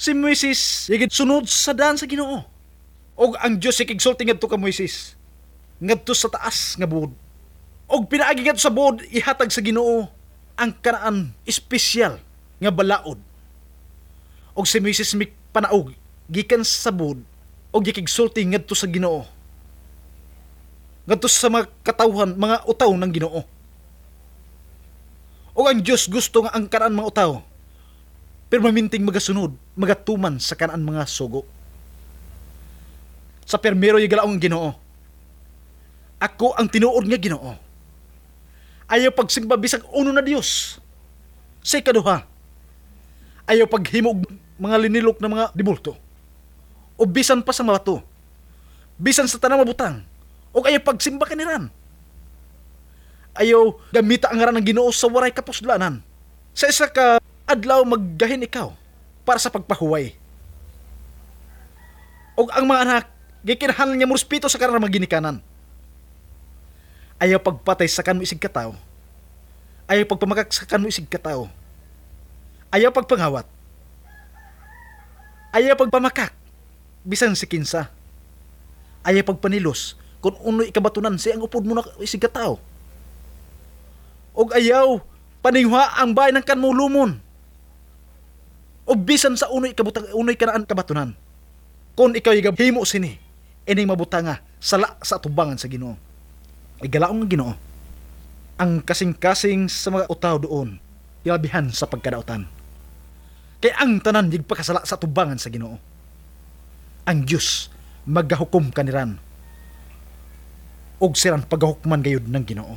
Si Moises yigid sunod sa daan sa Ginoo. Og ang Dios ikigsulti ngadto ka Moises ngadto sa taas nga buod. Og pinaagi ngadto sa buod ihatag sa Ginoo ang kanaan espesyal nga balaod. Og si Moises mikpanaog gikan sa buod og gikigsulti ngadto sa Ginoo. Ngadto sa mga katawhan, mga utaw ng Ginoo. Og ang Dios gusto nga ang kanaan mga utaw permanenteng magasunod, magatuman sa kanaan mga sugo. Sa permero galaong ang Ginoo. Ako ang tinuod nga Ginoo. Ayaw pagsimba bisag uno na Dios. Sa ikaduha, ayaw paghimo og mga linilok na mga dibulto. O bisan pa sa mga bato. Bisan sa tanang mabutang. O ayaw pagsimba kaniran. Ayaw gamita ang ngaran ng Ginoo sa waray kapuslanan. Sa isa ka adlaw maggahin ikaw para sa pagpahuway. Og ang mga anak, gikinahanglan nga morespeto sa kanang mga ginikanan. Ayaw pagpatay sa kanmo isig katawo. Ayaw pagpamakak sa kanmo isig katawo. Ayaw pagpangawat. Ayaw pagpamakak bisan si kinsa. Ayaw pagpanilos kung unoy ikabatunan si ang upod mo na isig katawo. Og ayaw paningwa ang bahay ng kanmo lumon. O bisan sa unoy kabutang unoy kanaan kabatunan. Kung ikaw himo sini, ining mabutanga sala sa atubangan sa Ginoo. Igalaong ang Ginoo. Ang kasing-kasing sa mga utaw doon, ilabihan sa pagkadautan. Kay ang tanan yigpakasala sa atubangan sa Ginoo. Ang Dios magahukom kaniran. Og siran pagahukman gayud ng Ginoo.